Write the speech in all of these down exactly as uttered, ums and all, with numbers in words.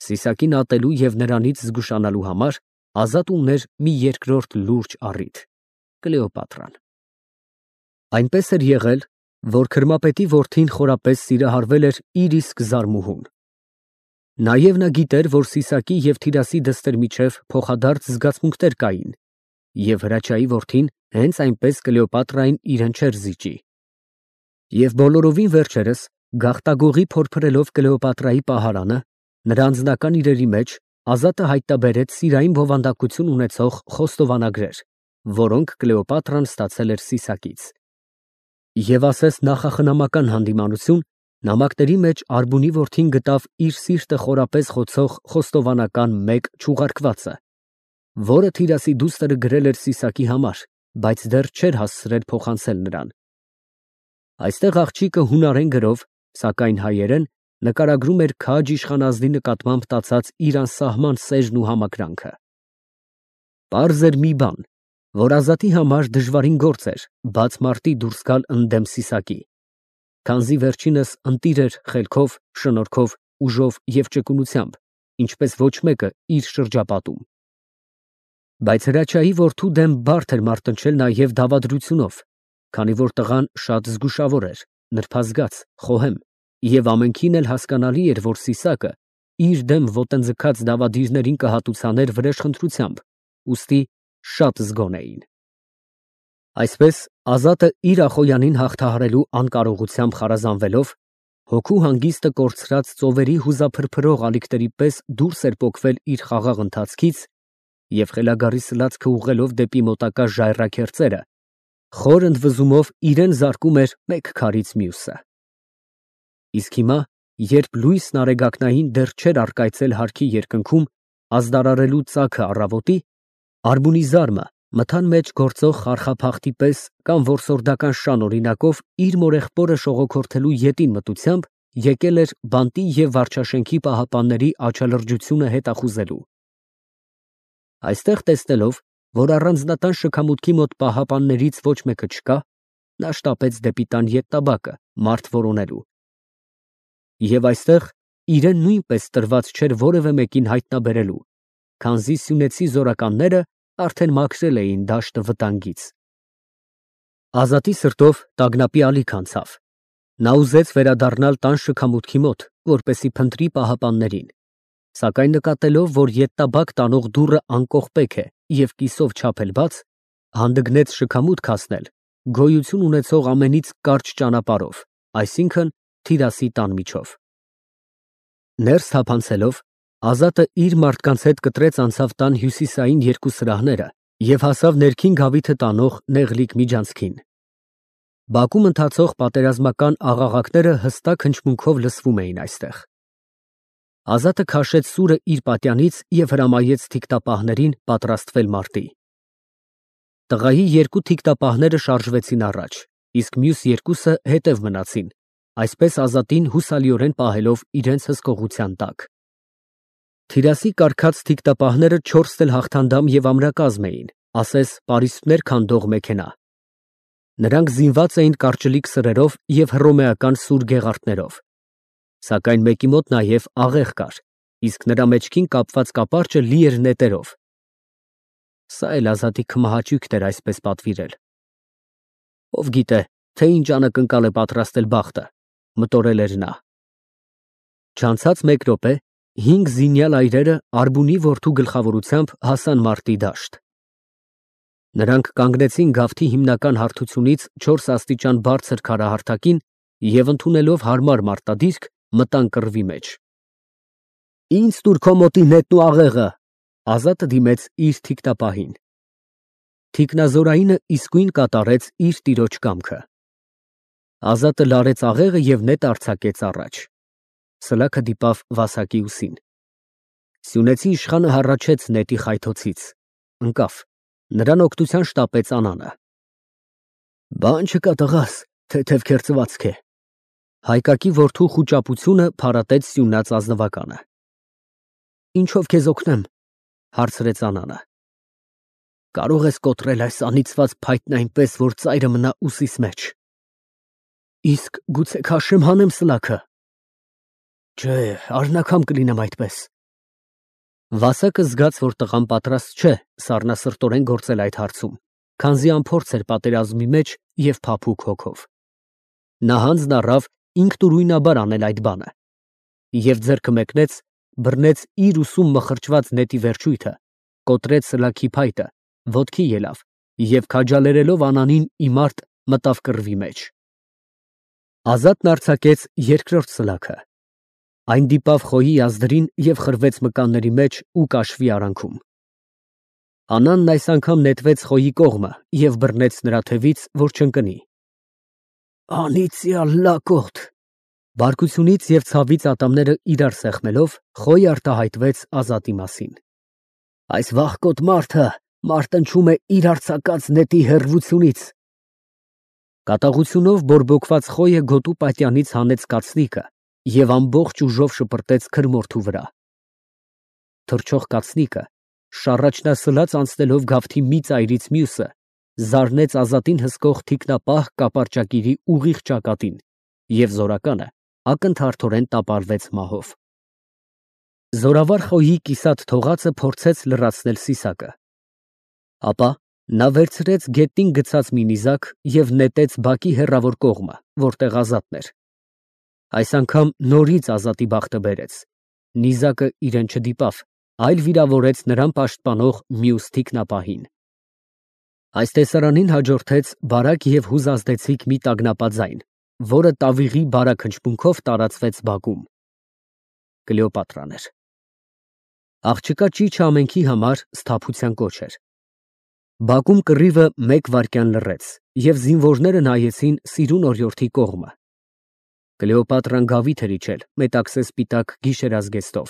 Սիսակին ատելու և նրանից զգուշանալու համար Ազատը ուներ մի երկրորդ լուրջ առիթ՝ Կլեոպատրան։ Այնպես էր եղել, որ քրմապետի որդին խորապես սիրահարվել էր իր իսկ զարմուհուն։ Նաև նա գիտեր, որ Սիսակի և Թիրասի դստեր միջև փոխադարձ զգացմունքներ կային, և Հրաչյայի որդին հենց այնպես Կլեոպատրային իրեն չէր զիջի։ Եվ բոլորովին վերջերս, գաղտագողի փորփրելով Կլեոպատրայի պահարանը, նրա անձնական իրերի մեջ Ազատը հայտնաբերեց սիրային բովանդակություն ունեցող խոստովանագրեր, որոնք Կլեոպատրան ստացել էր Սիսակից։ Եվ ասես նախախնամական հանդիմանություն, նամակների մեջ Արբունի որդին գտավ իր սիրտը խորապես խոցող խոստովանական մեկ չուղարկվածը, որը Թիրասի դուստրը գրել էր Սիսակի համար, բայց դեռ չէր հասցրել փոխանցել նրան։ Այստեղ աղջիկը հունարեն գրով, սակայն հայերեն, նկարագրում էր քաջ իշխանազնի նկատմամբ տածած իր անսահման սերն ու համակրանքը։ Պարզ էր մի բան, որ Ազատի համար դժվարին գործ էր բաց մարտի դուրս գալ ընդդեմ Սիսակի, քանզի վերջինս ընտիր էր խելքով, շնորհքով, ուժով և ճկունությամբ, ինչպես ոչ մեկը իր շրջապատում։ Բայց Հրաչյայի որդու դեմ բարդ էր մարտնչել նաև դավադրությունով, քանի որ տղան շատ զգուշավոր էր, նրբազգաց, խոհեմ, և ամենքին էլ հասկանալի էր, որ Սիսակը իր դեմ ոտնձգած դավադիրներին կհատուցաներ վրեժխնդրությամբ, ուստի շատ զգոն էին։ Այսպես Ազատը իր Ախոյանին հաղթահարելու անկարողությամբ խարազանվելով, հոգու հանգիստը կորցրած ծովերի հուզափրփրող ալիքների պես դուրս էր պոկվել իր խաղաղ ընթացքից և խելագարի սլացքը ուղղելով դեպի մոտակա ժայռաքերծերը, խոր ընդվզումով իրեն զարկում էր մեկ քարից մյուսը։ Իսկ հիմա, երբ լույսն արեգակնային դեռ չէր առկայծել հարքի երկնքում, ազդարարելու ծագը առավոտի, Արբունի զարմը մթան մեջ գործող խարխափախտի պես կամ որսորդական շան օրինակով իր մորեղբորը շողոքորթելու ետին մտությամբ եկել էր բանտի և վարչաշենքի պահապանների աչալրջությունը հետախուզելու։ Այստեղ տեսնելով, որ առանձնատան շքամուտքի մոտ պահապաններից ոչ մեկը չկա, նա շտապեց դեպի տան ետնաբակը մարդ որոնելու։ Եվ այստեղ իրեն նույնպես տրված չէր որևէ մեկին հայտնաբերելու, քանզի սյունեցի զորականները արդեն մաքրել էին դաշտը վտանգից։ Ազատի սրտով տագնապի ալիք անցավ։ Նա ուզեց վերադառնալ տան շքամուտքի մոտ, որպեսզի փնտրի պահապաններին, սակայն նկատելով, որ ետնաբակ տանող դուռը անկողպեք է և կիսով չափ էլ բաց, հանդգնեց շքամուտք հասնել գոյություն ունեցող ամենից կարճ ճանապարհով, այսինքն Թիրասի տան միջով։ Ներս թափանցելով, Ազատը իր մարդկանց հետ կտրեց անցավ տան հյուսիսային երկու սրահները և հասավ ներքին գավիթը տանող նեղլիկ միջանցքին։ Բակում ընթացող պատերազմական աղաղակները հստակ հնչմունքով լսվում էին այստեղ։ Ազատը քաշեց սուրը իր պատյանից և հրամայեց թիկտապահներին պատրաստվել մարտի։ Տղայի երկու թիկտապահները շարժվեցին առաջ, իսկ մյուս երկուսը հետև մնացին, այսպես Ազատին հուսալիորեն պահելով իրենց հսկողության տակ։ Թիրասի կառքած թիկտապահները չորս էլ հաղթանդամ և ամրակազմ էին, ասես պարիսպներ քանդող մեքենա։ Նրանք զինված էին կարճլիկ սրերով և հռոմեական սուր գեղարդներով, սակայն մեկի մոտ նաև աղեղ կար, իսկ նրա մեջքին կապված կապարճը լի էր նետերով։ Սա էլ Ազատի քմահաճույքն էր այսպես պատվիրել։ Ով գիտե, թե ինչ անակնկալ է պատրաստել բախտը, մտորել էր նա։ Չանցած մեկ րոպե հինգ զինյալ այրերը Արբունի որդու գլխավորությամբ հասան մարտի դաշտ։ Նրանք կանգնեցին գավթի հիմնական հարթությունից չորս աստիճան բարձր քարահարթակին և ընդունելով հարմար մարտադիրք, մտան կռվի մեջ։ Ինձ տուր քո մոտի նետն ու աղեղը, Ազատը դիմեց իր թիկտապահին։ Թիկնազորայինը իսկույն կատարեց իր տիրոջ կամքը։ Ազատը լարեց աղեղը և նետը արձակեց առաջ։ Սլաքը դիպավ վասակի ուսին։ Սյունեցի իշխանը հառաչեց նետի խայթոցից, ընկավ, նրան օգնության շտապեց Անանը։ Բան չկա տղաս, թեթև քերծվածք է։ Հայկակի որդու խուճապությունը փարատեց սյունած ազնվականը։ Ինչով քեզ օգնեմ, հարցրեց Անանը։ Կարող ես կոտրել այս անիծված փայտն այնպես, որ ծայրը մնա ուսիս մեջ։ Իսկ գուցե քաշեմ հանեմ սլաքը։ Չէ, արնաքամ կլինեմ այդպես։ Վասակը զգաց, որ տղան պատրաստ չէ սառնասրտորեն գործել այդ հարցում, քանզի անփորձ էր պատերազմի մեջ և փափուկ հոգով։ Նա հանձն առավ ինքնուրույնաբար անել այդ բանը և ձեռքը մեկնեց, բռնեց իր ուսում մխրճված նետի վերջույթը, կոտրեց սլաքի փայտը, ոտքի ելավ և քաջալերելով Անանին իմարտ մտավ կռվի մեջ։ Ազատն արձակեց երկրորդ սլաքը։ Այն դիպավ խոյի ազդրին և խրվեց մկանների մեջ ու կաշվի արանքում։ Անանն այս անգամ նետվեց խոյի կողմը և բռնեց նրա թևից, որ չընկնի։ Անիծյալ լակոտ։ Բարկությունից և ցավից ատամները իրար սեղմելով, Խոյը արտահայտվեց Ազատի մասին։ Այս վախկոտ մարդը մարտնչում է իր արձակած նետի հեռվությունից։ Կատաղությունով բորբոքված Խոյը գոտու պատյանից հանեց կացնիկը և ամբողջ ուժով շպրտեց քրմորթու վրա։ Թռչող կացնիկը, շառաչնասլաց անցնելով գավթի մի ծայրից մյուսը, զարնեց Ազատին հսկող թիկնապահ կապարճակիրի ուղիղ ճակատին, և զորականը ակնթարթորեն տապալվեց մահով։ Զորավար Խոյի կիսատ թողածը փորձեց լրացնել սիսակը։ Ապա նա վերցրեց գետնին գցած մի նիզակ և նետեց բակի հեռավոր կողմը, որտեղ Ազատն էր։ Այս անգամ նորից Ազատի բախտը բերեց. նիզակը իրան չդիպավ, այլ վիրավորեց նրան պաշտպանող մյուս թիկնապահին։ Այս տեսարանին հաջորդեց բարակ և հուզազդեցիկ մի տագնապաձայն, որը տավիղի բարակ հնչմունքով տարածվեց բակում։ Կլեոպատրան էր։ Աղջկա ճիչը ամենքի համար սթափության կոչ էր։ Բակում կռիվը մեկ վայրկյան լռեց, և զինվորները նայեցին սիրուն օրիորդի կողմը։ Կլեոպատրան գավիթ էր իջել մետաքսե սպիտակ գիշերազգեստով։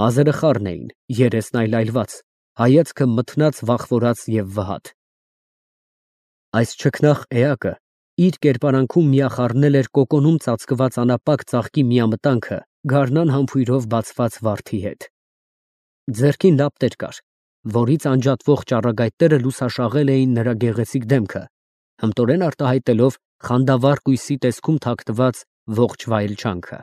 Մազերը խառն էին, երեսն այլայլված, հայացքը մթնած, վախվորած և վհատ։ Այս չքնաղ էակը իր կերպարանքում միախառնել էր կոկոնում ծածկված անապակ ծաղկի միամտանքը գարնան համբույրով բացված վարդի հետ։ Ձեռքին լապտեր կար, որից անջատվող ճառագայթները լուսաշաղել էին նրա գեղեցիկ դեմքը, հմտորեն արտահայտելով խանդավառ կույսի տեսքում թաքնված ողջ վայելչանքը։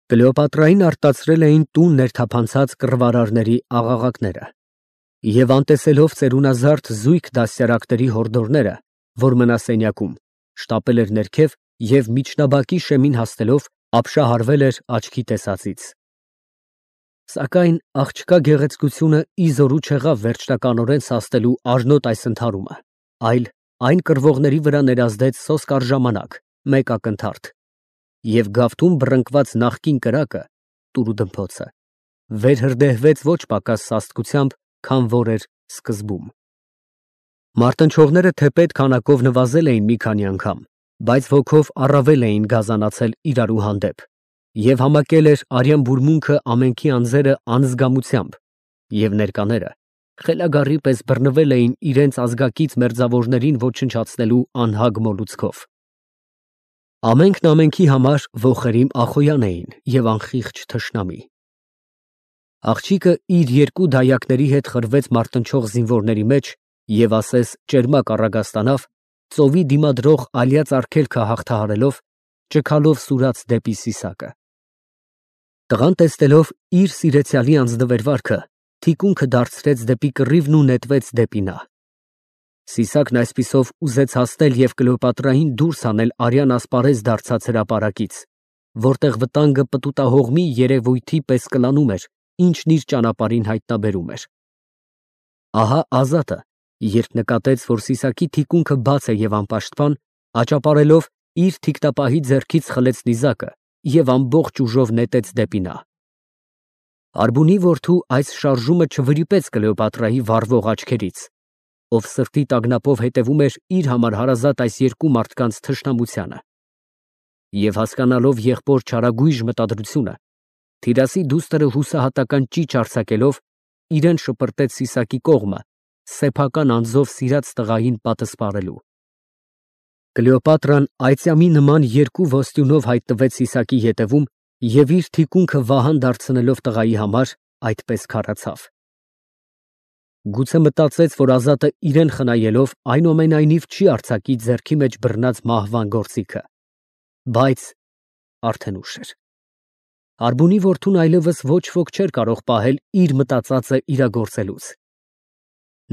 Կլեոպատրային արտացրել էին տուն ներթափանցած կռվարարների աղաղակները, և անտեսելով ծերունազարդ զույգ դաստիարակների հորդորները, որ մնա սենյակում, շտապել էր ներքև և միջնաբակի շեմին հասնելով ապշահարվել էր աչքի տեսածից։ Սակայն աղջկա գեղեցկությունը ի զորու չեղավ վերջնականորեն սաստելու արժանոտ այս ընդհարումը, այլ այն կռվողների վրա ներազդեց սոսկ առժամանակ, մեկ ակնթարթ, և գավթում բռնկված նախկին կրակը (տուրուդմփոցը) վերհրդեհվեց ոչ պակաս սաստկությամբ, քան որ էր սկզբում։ Մարտնչողները թեպետ քանակով նվազել էին մի քանի անգամ, բայց ոգով առավել էին գազանացել իրարու հանդեպ, և համակել էր արյան բուրմունքը ամենքի անձերը անզգամությամբ, և ներկաները խելագարի պես բռնվել էին իրենց ազգակից մերձավորներին ոչնչացնելու անհագ մոլուցքով։ Ամենքն ամենքի համար ոխերիմ Ախոյան էին և անխիղճ թշնամի։ Աղջիկը իր երկու դայակների հետ խրվեց մարտնչող զինվորների մեջ և ասես ճերմակ առագաստանավ, ծովի դիմադրող ալյաց արգելքը հաղթահարելով, ճքալով սուրաց դեպի սիսակը։ Տղան տեսնելով իր սիրեցյալի անձնվերվարքը, թիկունքը դարձրեց դեպի կռիվն ու նետվեց դեպի նա։ Սիսակն այսպիսով ուզեց հասնել և Կլեոպատրային դուրս հանել արյան ասպարեզ դարձած հրապարակից, որտեղ վտանգը պտուտահողմի երևույթի պես կլանում էր, ինչն իր ճանապարհին հայտնաբերում էր։ Ահա Ազատը, երբ նկատեց, որ սիսակի թիկունքը բաց է և անպաշտպան, աճապարելով իր թիկնապահի ձեռքից խլեց նիզակը և ամբողջ ուժով նետեց դեպի նա։ Արբունի որդու այս շարժումը չվրիպեց Կլեոպատրայի վառվող աչքերից, ով սրտի տագնապով հետևում էր իր համար հարազատ այս երկու մարդկանց թշնամությանը։ Եվ հասկանալով եղբոր չարագույժ մտադրությունը, թիրասի դուստրը հուսահատական ճիչ արձակելով, իրան շպրտեց սիսակի կողմը, սեփական անձով սիրած տղային պատսպարելու։ Կլեոպատրան այծյամի նման երկու ոստյունով հայտնվեց սիսակի ետևում և իր թիկունքը վահան դարձնելով տղայի համար, այդպես քարացավ։ Գուցե մտածեց, որ Ազատը իրան խնայելով այնուամենայնիվ չի արձակի ձեռքի մեջ բռնած մահվան գործիքը, բայց արդեն ուշ էր։ Արբունի որդուն այլևս ոչ ոք չէր կարող պահել իր մտածածը իրագործելուց։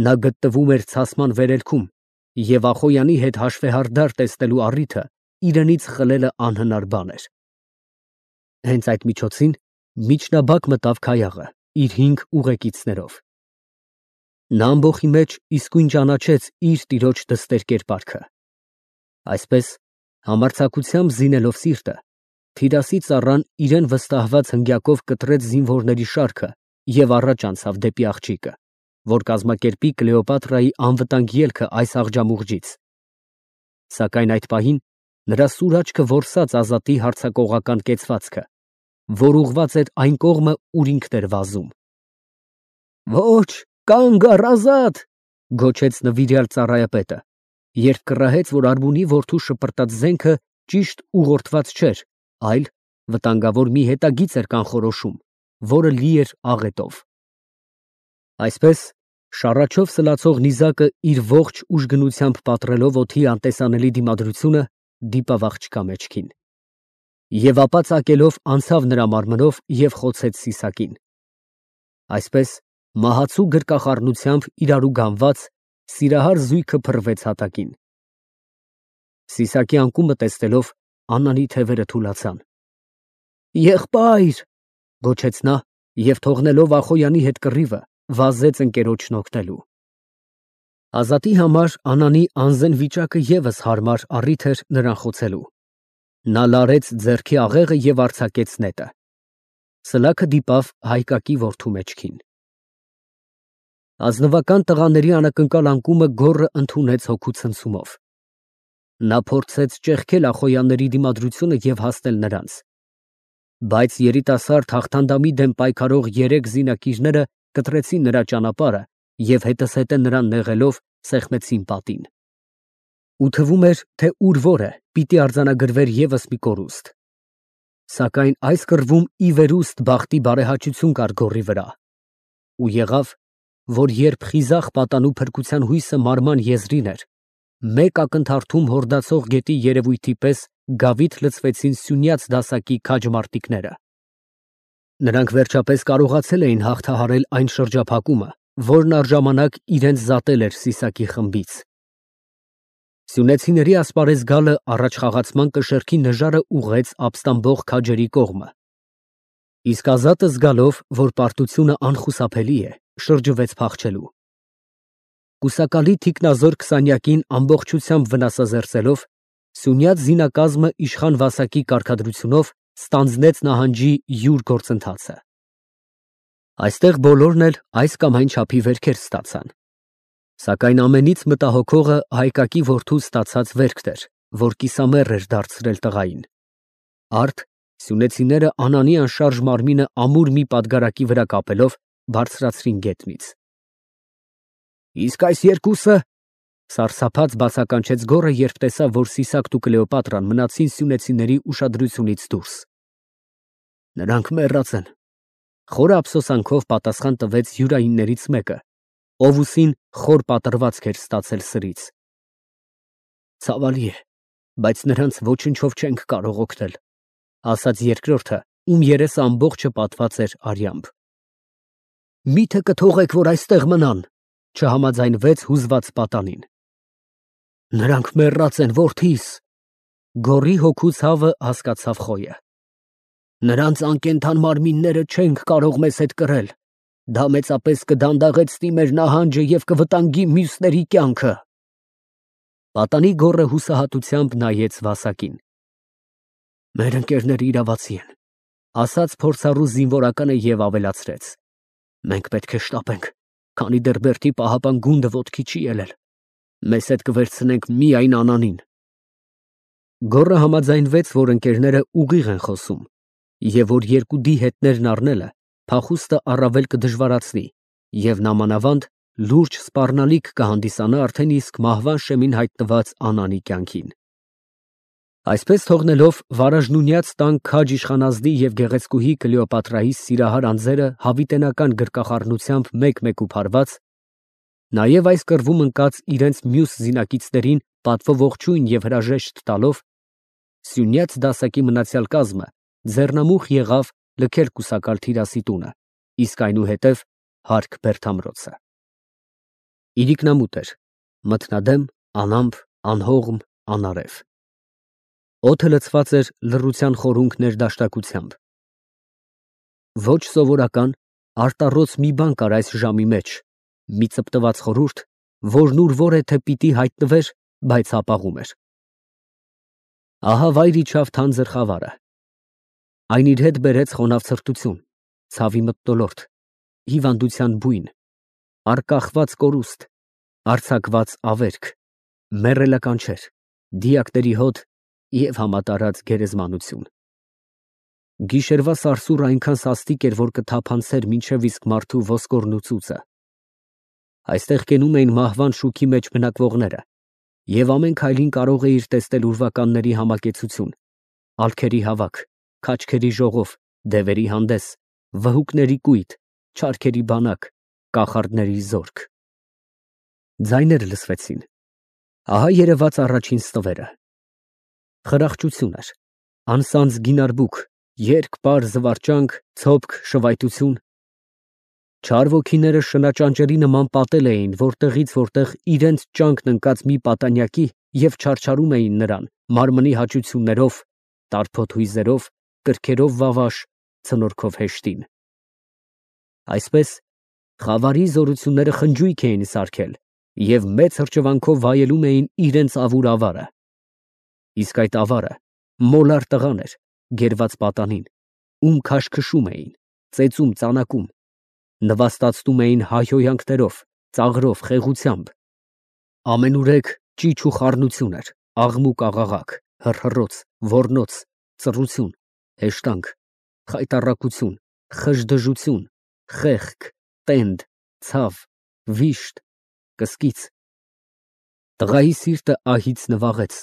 Նա գտնվում էր ցասման վերելքում, և Ախոյանի հետ հաշվեհարդար տեսնելու առիթը իրենից խլելը անհնար բան էր։ Հենց այդ միջոցին միջնաբակ մտավ Քայաղը իր հինգ ուղեկիցներով։ Նա ամբոխի մեջ իսկույն ճանաչեց իր տիրոջ դստեր կերպարքը։ Այսպես, համարձակությամբ զինելով սիրտը, թիրասի ծառան իրեն վստահված հնգյակով կտրեց զինվորների շարքը և առաջ անցավ դեպի աղջիկը, որ կազմակերպի Կլեոպատրայի անվտանգ ելքը այս աղջամուղջից։ Սակայն այդ պահին նրա սուր աչքը որսաց Ազատի հարձակողական կեցվածքը, որ ուղղված էր այն կողմը, ուր ինքն էր վազում։ «Ոչ, կանգ առ, Ազատ», գոչեց նվիրյալ ծառայապետը, երբ կռահեց, որ արբունի որդու շպրտած զենքը ճիշտ ուղղորդված չէր, այլ վտանգավոր մի հետագիծ էր կանխորոշում, որը լի էր աղետով։ Այսպես, շառաչով սլացող նիզակը իր ողջ ուժգնությամբ պատռելով օդի անտեսանելի դիմադրությունը, դիպավ աղջկա մեջքին, և ապա ծակելով անցավ նրա մարմնով և խոցեց Սիսակին։ Այսպես, մահացու գրկախառնությամբ իրարու գանված, սիրահար զույգը փռվեց հատակին։ Սիսակի անկումը տեսնելով, Աննանի թևերը թուլացան։ «Եղբայր», գոչեց նա և թողնելով Ախոյանի հետ կռիվը, վազեց ընկերոջն օգնելու։ Ազատի համար Անանի անզեն վիճակը ևս հարմար առիթ էր նրան խոցելու։ Նա լարեց ձեռքի աղեղը և արձակեց նետը։ Սլաքը դիպավ Հայկակի որդու մեջքին։ Ազնվական տղաների անակնկալ անկումը գոռը ընդունեց հոգու ցնցումով։ Նա փորձեց ճեղքել Ախոյանների դիմադրությունը և հասնել նրանց։ Բայց երիտասարդ հաղթանդամի դեմ պայքարող երեք զինակիրները կտրեցին նրա ճանապարհը և հետզհետե նրան նեղելով սեղմեցին պատին։ Ու թվում էր, թե ուր որը պիտի արձանագրվեր ևս մի կորուստ։ Սակայն այս կռվում ի վերուստ բախտի բարեհաճություն կար գոռի վրա։ Ու եղավ, որ երբ խիզախ պատանու փրկության հույսը մարման եզրին էր, մեկ ակնթարթում հորդացող գետի երևույթի պես գավիթ լցվեցին սյունյաց դասակի քաջ մարտիկները։ Նրանք վերջապես կարողացել էին հաղթահարել այն շրջափակումը, որն առժամանակ իրենց զատել էր Սիսակի խմբից։ Սյունեցիների ասպարեզ գալը առաջխաղացման կշեռքի նժարը ուղղեց ապստամբող քաջերի կողմը։ Իսկ Ազատը զգալով, որ պարտությունը անխուսափելի է, շրջվեց փախչելու։ Կուսակալի թիկնազոր քսանյակին ամբողջությամբ վնասազերծելով, սյունյաց զինակազմը իշխան Վասակի կարգադրությունով ստանձնեց նահանջի յուր գործընթացը։ Այստեղ բոլորն էլ այս կամ այն չափի վերքեր ստացան։ Սակայն ամենից մտահոգողը Հայկակի որդու ստացած վերքն էր, որ կիսամեռ էր դարձրել տղային։ Արդ սյունեցիները Անանի անշարժ մարմինը ամուր մի պատգարակի վրա կապելով, բարձրացրին գետնից։ «Իսկ այս երկուսը», սարսափած բացականչեց գոռը, երբ տեսավ, որ Սիսակն ու Կլեոպատրան մնացին սյունեցիների ուշադրությունից դուրս։ «Նրանք մեռած են», խորը ափսոսանքով պատասխան տվեց յուրայիններից մեկը, ով ուսին խոր պատռվածք էր ստացել սրից։ «Ցավալի է, բայց նրանց ոչնչով չենք կարող օգնել», ասաց երկրորդը, ում երեսը ամբողջը պատված էր արյամբ։ «Մի՞թե կթողեք, որ այստեղ մնան», չհամաձայնվեց հուզված պատանին։ «Նրանք մեռած են, որդիս», գոռի հոգու ցավը հասկացավ Խոյը։ «Նրանց անկենդան մարմինները չենք կարող մեզ հետ կրել, դա մեծապես կդանդաղեցնի մեր նահանջը և կվտանգի մյուսների կյանքը»։ Պատանի գոռը հուսահատությամբ նայեց Վասակին։ «Մեր ընկերները իրավացի են», ասաց փորձառու զինվորականը և ավելացրեց. «Մենք պետք է շտապենք, քանի դեռ Բերդի պահապան գունդը ոտքի չի ելել։ Մեզ հետ կվերցնենք միայն Անանին»։ Գոռը համաձայնվեց, որ ընկերները ուղիղ են խոսում, և որ երկու դիհետներն առնելը փախուստը առավել կդժվարացնի, և նամանավանդ լուրջ սպառնալիք կհանդիսանա արդեն իսկ մահվան շեմին հայտնված Անանի կյանքին։ Այսպես թողնելով վարաժնունյաց տան քաջ իշխանազնի և գեղեցկուհի Կլեոպատրայի սիրահար անձերը հավիտենական գրկախառնությամբ մեկ֊մեկու փարված, նաև այս կռվում ընկած իրենց մյուս զինակիցներին պատվո ողջույն և հրաժեշտ տալով, սյունյաց դասակի մնացյալ կազմը ձեռնամուխ եղավ լքել կուսակալ Թիրասի տունը, իսկ այնուհետև հարկ Բերդամրոցը։ Իրիկնամուտ էր, մթնադեմ, անամպ, անհողմ, անարև։ Օդը լցված էր լռության խորունկ ներդաշնակությամբ։ Ոչ սովորական, արտառոց մի բան կար այս ժամի մեջ, մի ծպտված խորհուրդ, որն ուր որ է թե պիտի հայտնվեր, բայց հապաղում էր։ Ահա վայր իջավ թանձր խավարը։ Այն իր հետ բերեց խոնավ ցրտություն, ցավի մթնոլորտ, հիվանդության բույն, արկախված կորուստ, արձակված ավերք, մեռելականչեր, դիակների հոտ և համատարած գերեզմանություն։ Գիշերվա սարսուռը այնքան սաստիկ էր, որ կթափանցեր մինչև իսկ մարդու ոսկորն ու ծուծը։ Այստեղ կենում էին մահվան շուքի մեջ բնակվողները, և ամեն քայլին կարող էիր տեսնել ուրվականների համակեցություն, ալքերի հավաք, քաչքերի ժողով, դևերի հանդես, վհուկների կույտ, չարքերի բանակ, կախարդների զորք։ Ձայներ լսվեցին։ Ահա երևաց առաջին ստվերը։ Խրախճություն էր, անսանձ գինարբուք, երգ, պար, զվարճանք, ցոփք, շվայտություն։ Չար ոգիները շնաճանճերի նման պատել էին որտեղից որտեղ իրենց ճանկն ընկած մի պատանյակի և չարչարում էին նրան մարմնի հաճություններով, տարփոթ հույզերով, կրքերով վավաշ, ցնորքով հեշտին։ Այսպես խավարի զորությունները խնջույք էին սարքել և մեծ հրճվանքով վայելում էին իրենց ավուր ավարը։ Իսկ այդ ավարը մոլար տղան էր, գերված պատանին, ում քաշքշում էին, ծեծում, ծանակում, նվաստացնում էին հայհոյանքներով, ծաղրով, խեղությամբ։ Ամենուրեք ճիչ ու խառնություն էր, աղմուկ֊աղաղակ, հռհռոց, ոռնոց, ծռություն, հեշտանք, խայտառակություն, խժդժություն, խեղք, տենդ, ցավ, վիշտ, կսկիծ։ Տղայի սիրտը ահից նվաղեց,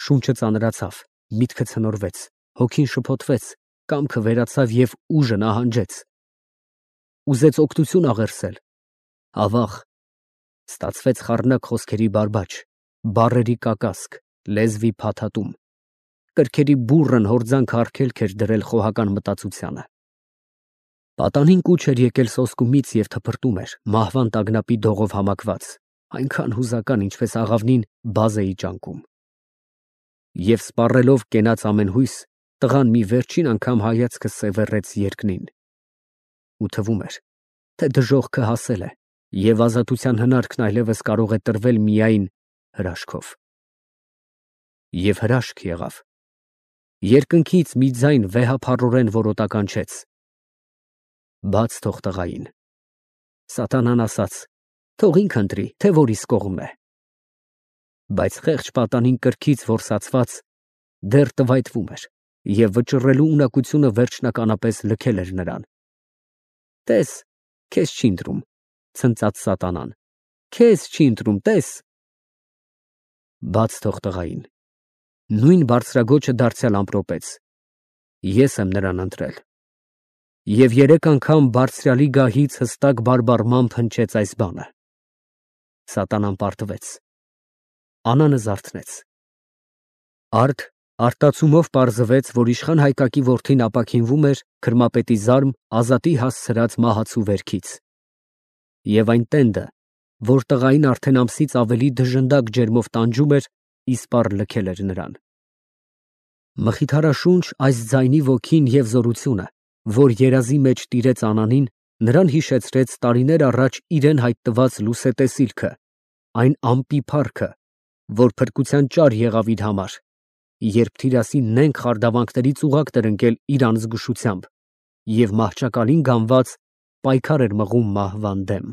շունչը ծանրացավ, միտքը ցնորվեց, հոգին շփոթվեց, կամքը վերացավ և ուժը նահանջեց։ Ուզեց օգնություն աղերսել, ավաղ, ստացվեց խառնակ խոսքերի բարբաջ, բառերի կակասք, լեզվի փաթաթում, կրքերի բուռն հորձանք արգելք էր դրել խոհական մտածությանը։ Պատանին կուչ էր եկել սոսկումից և թփրտում էր, մահվան տագնապի դողով համակված, այնքան հուզական, ինչպես աղավնին բազեի ճանկում։ Եվ սպառելով կենաց ամեն հույս, տղան մի վերջին անգամ հայացքը սևեռեց երկնին։ Ու թվում էր, թե դժոխքը հասել է, և ազատության հնարքն այլևս կարող է տրվել միայն հրաշքով։ Եվ հրաշք եղավ։ Երկնքից մի ձայն վեհափառորեն որոտականչեց. «Բաց թող տղային»։ Սատանան ասաց. «Թող ինք ընտրի, թե որ իսկ կողմն է»։ Բայց խեղճ պատանին կրքից որսացված դեռ տվայտվում էր, և վճռելու ունակությունը վերջնականապես լքել էր նրան։ «Տես, քեզ չի ընտրում», ցնծաց սատանան, «քեզ չի ընտրում, տես»։ Բաց թող տղային։ Նույն բարձրագոչը դարձյալ ամպրոպեց. «Ես եմ նրան ընտրել»։ Եվ երեք անգամ բարձրյալի գահից հստակ բարբառմամբ հնչեց այս բանը։ Սատանան պարտվեց։ Անանը զարթնեց։ Արդ արտացումով պարզվեց, որ իշխան Հայկակի որդին ապաքինվում էր քրմապետի զարմ Ազատի հասցրած մահացու վերքից։ Եվ այն տենդը, որ տղային արդեն ամսից ավելի դժնդակ ջերմով տանջում էր, իսպառ լքել էր նրան։ Մխիթարաշունչ այս ձայնի ոգին և զորությունը, որ երազի մեջ տիրեց Անանին, նրան հիշեցրեց տարիներ առաջ իրեն հայտնված լուսետեսիլքը, այն ամպի փառքը, որ փրկության ճար եղավ իր համար, երբ Թիրասի նենգ խարդավանքներից ուղղակն էր ընկել իր անզգուշությամբ և մահճակալին գանված պայքար էր մղում մահվան դեմ։